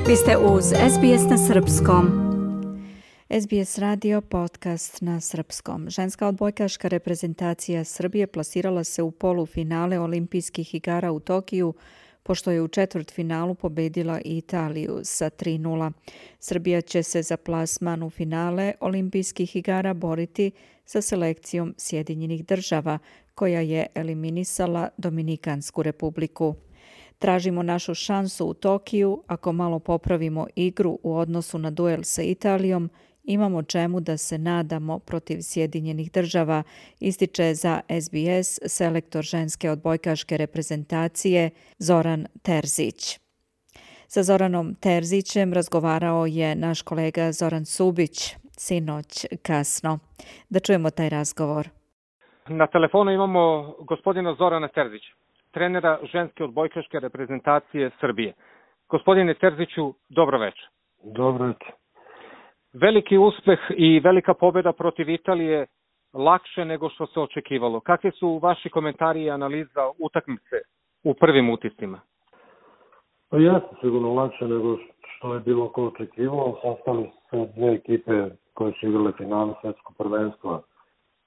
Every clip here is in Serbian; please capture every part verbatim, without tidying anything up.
Vi ste uz S B S na srpskom. S B S radio podcast na srpskom. Ženska odbojkaška reprezentacija Srbije plasirala se u polufinale olimpijskih igara u Tokiju, pošto je u četvrtfinalu pobedila Italiju sa tri nula. Srbija će se za plasman u finale olimpijskih igara boriti sa selekcijom Sjedinjenih država, koja je eliminisala Dominikansku republiku. Tražimo našu šansu u Tokiju, ako malo popravimo igru u odnosu na duel sa Italijom, imamo čemu da se nadamo protiv Sjedinjenih država, ističe za S B S selektor ženske odbojkaške reprezentacije Zoran Terzić. Sa Zoranom Terzićem razgovarao je naš kolega Zoran Subić sinoć kasno. Da čujemo taj razgovor. Na telefonu imamo gospodina Zorana Terzića, trenera ženske odbojkaške reprezentacije Srbije. Gospodine Terziću, dobro večer. Dobro večer. Veliki uspeh i velika pobjeda protiv Italije lakše nego što se očekivalo. Kakvi su vaši komentari i analiza utakmice u prvim utiscima? Pa jeste sigurno lakše nego što je bilo ko očekivalo. Sastali se dve ekipe koje su igrale finale svetskog prvenstva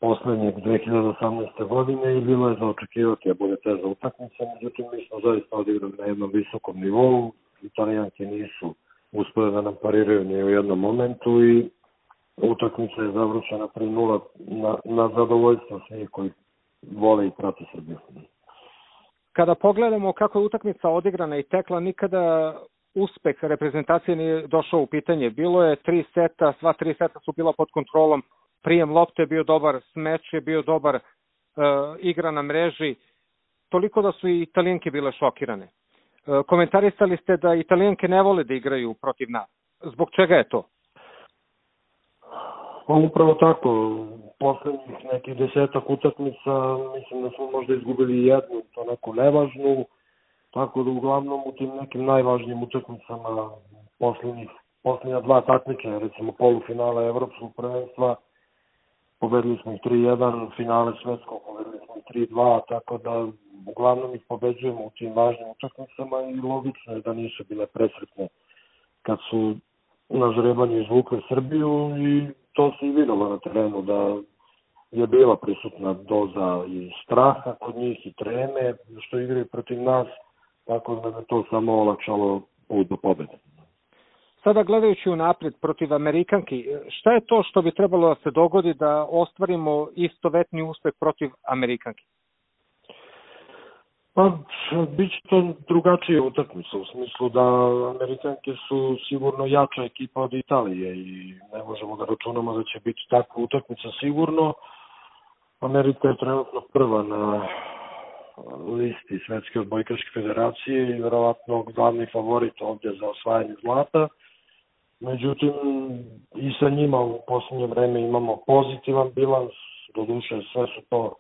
poslednjeg dve hiljade osamnaeste. godine i bilo je za očekivati da bude teža utakmica. Međutim, mi smo zaista odigrali na jednom visokom nivou. Italijanke nisu uspjeli da nam pariraju ni u jednom momentu i utakmica je završena tri nula na, na zadovoljstvo svih koji vole i prate Srbiju. Kada pogledamo kako je utakmica odigrana i tekla, nikada uspeh reprezentacije nije došao u pitanje. Bilo je tri seta, sva tri seta su bila pod kontrolom, prijem lopte je bio dobar, smeč je bio dobar, e, igra na mreži, toliko da su i Italijanke bile šokirane. Komentarisali ste da Italijanke ne vole da igraju protiv nas. Zbog čega je to? Pa upravo tako. Poslednjih nekih desetak utakmica mislim da smo možda izgubili jednu, to neku nevažnu. Tako da uglavnom u tim nekim najvažnijim utakmicama poslednjih, poslednja dva takmičenja, recimo polufinala Evropskog prvenstva, pobedili smo ih tri jedan, finale svetskog pobedili smo ih tri dva, tako da uglavnom ih pobeđujemo u tim važnim utakmicama i logično je da nisu bile presretne kad su na žrebanju izvukle Srbiju i to se i videlo na terenu da je bila prisutna doza i straha kod njih i treme što igraju protiv nas, tako da je to samo olakšalo put do pobede. Sada gledajući unapred protiv Amerikanki, šta je to što bi trebalo da se dogodi da ostvarimo istovetni uspeh protiv Amerikanki? Pa, bit će to drugačija utakmica, u smislu da Amerikanke su sigurno jača ekipa od Italije i ne možemo da računamo da će biti takva utakmica sigurno. Amerika je trenutno prva na listi Svetske odbojkaške federacije i verovatno glavni favorit ovdje za osvajanje zlata. Međutim, i sa njima u posljednje vreme imamo pozitivan bilans, doduše sve su to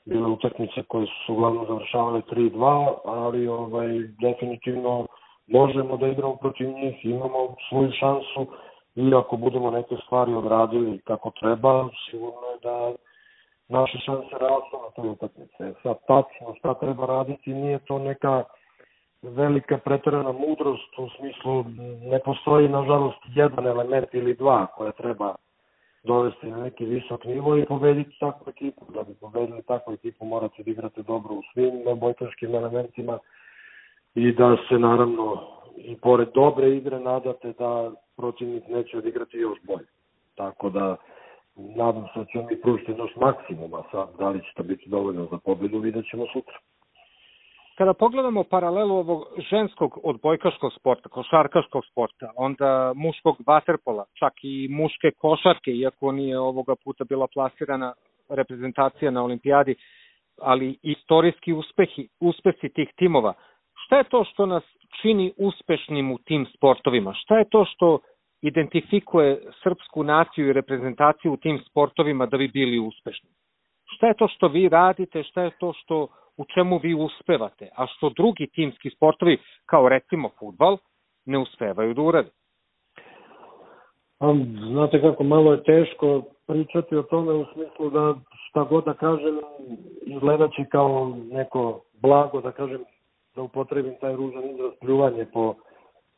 bile utakmice koje su uglavnom završavale tri dva, ali ovaj, definitivno možemo da igramo protiv njih, imamo svoju šansu i ako budemo neke stvari odradili kako treba, sigurno je da naše šanse rastu na toj utakmice. Sad tačno šta treba raditi, nije to neka velika preterana mudrost, u smislu ne postoji nažalost jedan element ili dva koja treba dovesti na neki visok nivo i pobediti takvu ekipu. Da bi pobedili takvu ekipu morate da igrate dobro u svim odbojkaškim elementima i da se naravno i pored dobre igre nadate da protivnik neće odigrati još bolje. Tako da nadam se da ćemo mi pružiti naš maksimum, a sad da li će to biti dovoljno za pobedu vidjet ćemo sutra. Kada pogledamo paralelu ovog ženskog odbojkaškog sporta, košarkaškog sporta, onda muškog vaterpola, čak i muške košarke, iako nije ovoga puta bila plasirana reprezentacija na olimpijadi, ali istorijski uspehi, uspesi tih timova. Šta je to što nas čini uspešnim u tim sportovima? Šta je to što identifikuje srpsku naciju i reprezentaciju u tim sportovima da bi bili uspešni? Šta je to što vi radite, šta je to što u čemu vi uspevate, a što drugi timski sportovi, kao recimo fudbal, ne uspevaju da urade? Znate kako, malo je teško pričati o tome u smislu da šta god da kažem izgledat će kao neko blago, da kažem, da upotrebim taj ružan izraz, pljuvanje po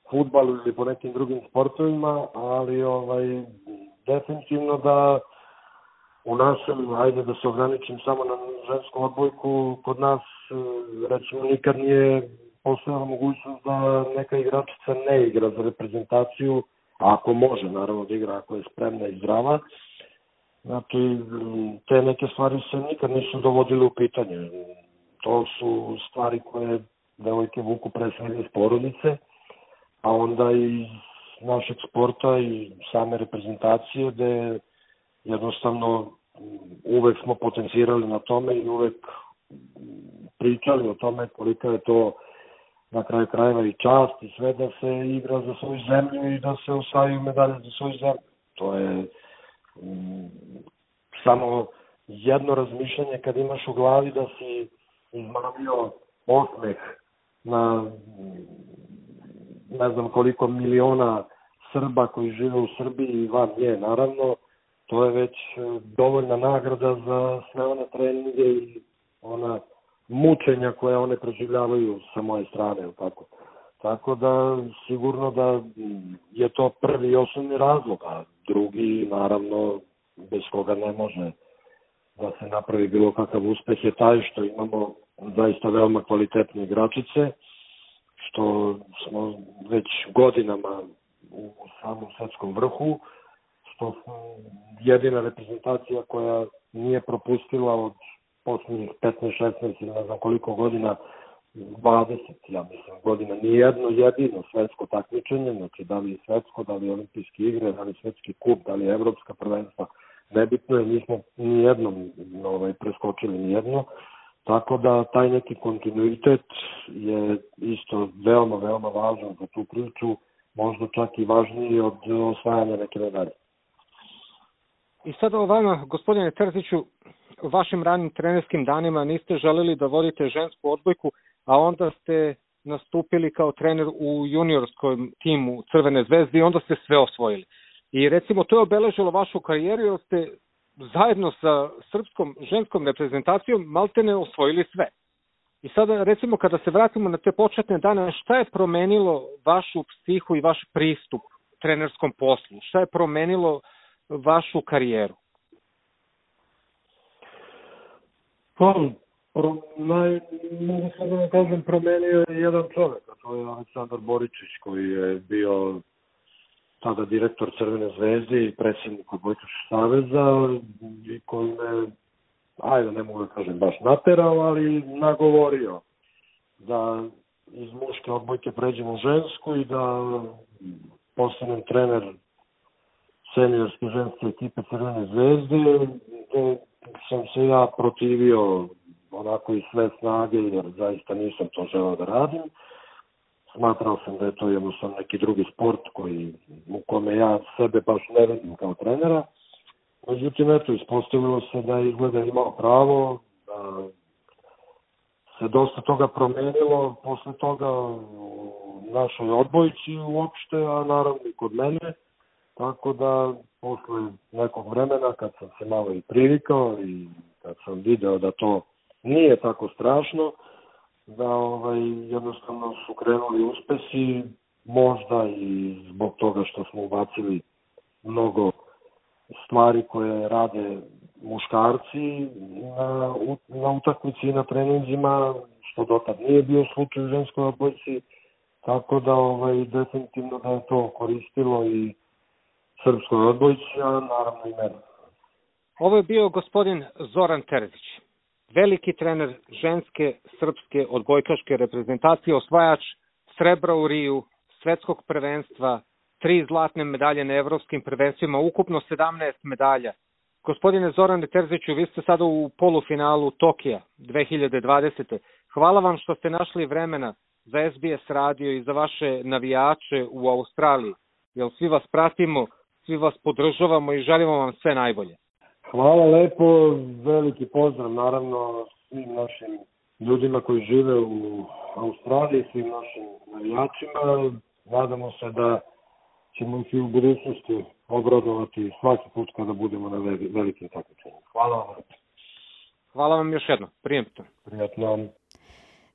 fudbalu ili po nekim drugim sportovima, ali ovaj, definitivno da u našem, ajde da se ograničim samo na žensku odbojku, kod nas recimo nikad nije postojala mogućnost da neka igračica ne igra za reprezentaciju, ako može naravno da igra, ako je spremna i zdrava. Znači, te neke stvari se nikad nisu dovodile u pitanje. To su stvari koje devojke vuku pre svega iz porodice, a onda i iz našeg sporta i same reprezentacije, gde jednostavno uvek smo potencirali na tome i uvek pričali o tome kolika je to na kraju krajeva i čast i sve da se igra za svoju zemlju i da se osvajaju medalje za svoju zemlju. To je mm, samo jedno razmišljanje kad imaš u glavi da si izmamio osmeh na ne znam koliko miliona Srba koji žive u Srbiji i van nje, naravno, to je već dovoljna nagrada za sve one treninge i ona mučenja koje one preživljavaju sa moje strane. Tako. tako da sigurno da je to prvi i osnovni razlog, a drugi, naravno, bez koga ne može da se napravi bilo kakav uspeh, je taj što imamo zaista veoma kvalitetne igračice, što smo već godinama u samom svetskom vrhu, što smo jedina reprezentacija koja nije propustila od posljednjih petnaest šesnaest ili ne znam koliko godina, dvadeset, ja mislim, godina, nijedno jedino svetsko takmičenje, znači da li je svetsko, da li je olimpijske igre, da li je svetski kup, da li je evropska prvenstva, nebitno je, nismo nijednom ovaj, preskočili nijedno, tako da taj neki kontinuitet je isto veoma, veoma važan za tu priču, možda čak i važniji od osvajanja neke medalje. I sada o vama, gospodine Terziću, vašim ranim trenerskim danima niste želeli da vodite žensku odbojku, a onda ste nastupili kao trener u juniorskom timu Crvene zvezde i onda ste sve osvojili. I recimo to je obeležilo vašu karijeru jer ste zajedno sa srpskom ženskom reprezentacijom maltene osvojili sve. I sada recimo kada se vratimo na te početne dane, šta je promenilo vašu psihu i vaš pristup trenerskom poslu? Šta je promenilo vašu karijeru? Pa, pro, naj, mogu sad da kažem, promenio je jedan čovjek, a to je Aleksandar Boričić, koji je bio tada direktor Crvene zvezde i predsjednik Odbojkaškog saveza i koji me, ajde ne mogu da kažem baš naterao, ali nagovorio da iz muške odbojke pređemo u žensku i da postanem trener seniorske ženske ekipe Crvene zvezde, gde sam se ja protivio onako iz sve snage, jer zaista nisam to želeo da radim. Smatrao sam da je to jednostavno neki drugi sport koji, u kome ja sebe baš ne vidim kao trenera. Međutim, eto, ispostavilo se da je izgleda imao pravo, da se dosta toga promenilo posle toga u našoj odbojci uopšte, a naravno i kod mene. Tako da, posle nekog vremena, kad sam se malo i privikao i kad sam video da to nije tako strašno, da ovaj, jednostavno su krenuli uspesi, možda i zbog toga što smo ubacili mnogo stvari koje rade muškarci na, na utakmici i na treninzima, što dotad nije bio slučaj u ženskoj odbojci, tako da ovaj, definitivno da je to koristilo i srpskoj odbojci, a naravno i mene. Ovo je bio gospodin Zoran Terzić, veliki trener ženske srpske odbojkaške reprezentacije, osvajač srebra u Riju, svetskog prvenstva, tri zlatne medalje na evropskim prvenstvima, ukupno sedamnaest medalja. Gospodine Zorane Terziću, vi ste sada u polufinalu Tokija dve hiljade dvadesete. Hvala vam što ste našli vremena za S B S radio i za vaše navijače u Australiji, jer svi vas pratimo, svi vas podržavamo i želimo vam sve najbolje. Hvala lepo, veliki pozdrav naravno svim našim ljudima koji žive u Australiji, svim našim navijačima. Nadamo se da ćemo ih i u budućnosti obradovati svaki put kada budemo na velikim takmičenjima. Hvala vam. Hvala vam još jedno. Prijatno. Prijatno.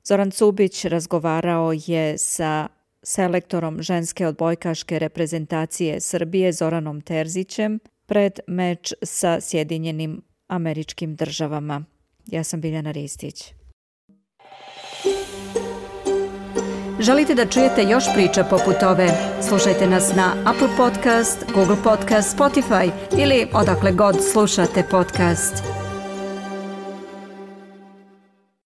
Zoran Cubić razgovarao je sa selektorom ženske odbojkaške reprezentacije Srbije Zoranom Terzićem pred meč sa Sjedinjenim Američkim Državama. Ja sam Biljana Ristić. Želite da čujete još priča poput ove? Slušajte nas na Apple Podcast, Google Podcast, Spotify ili odakle god slušate podcast.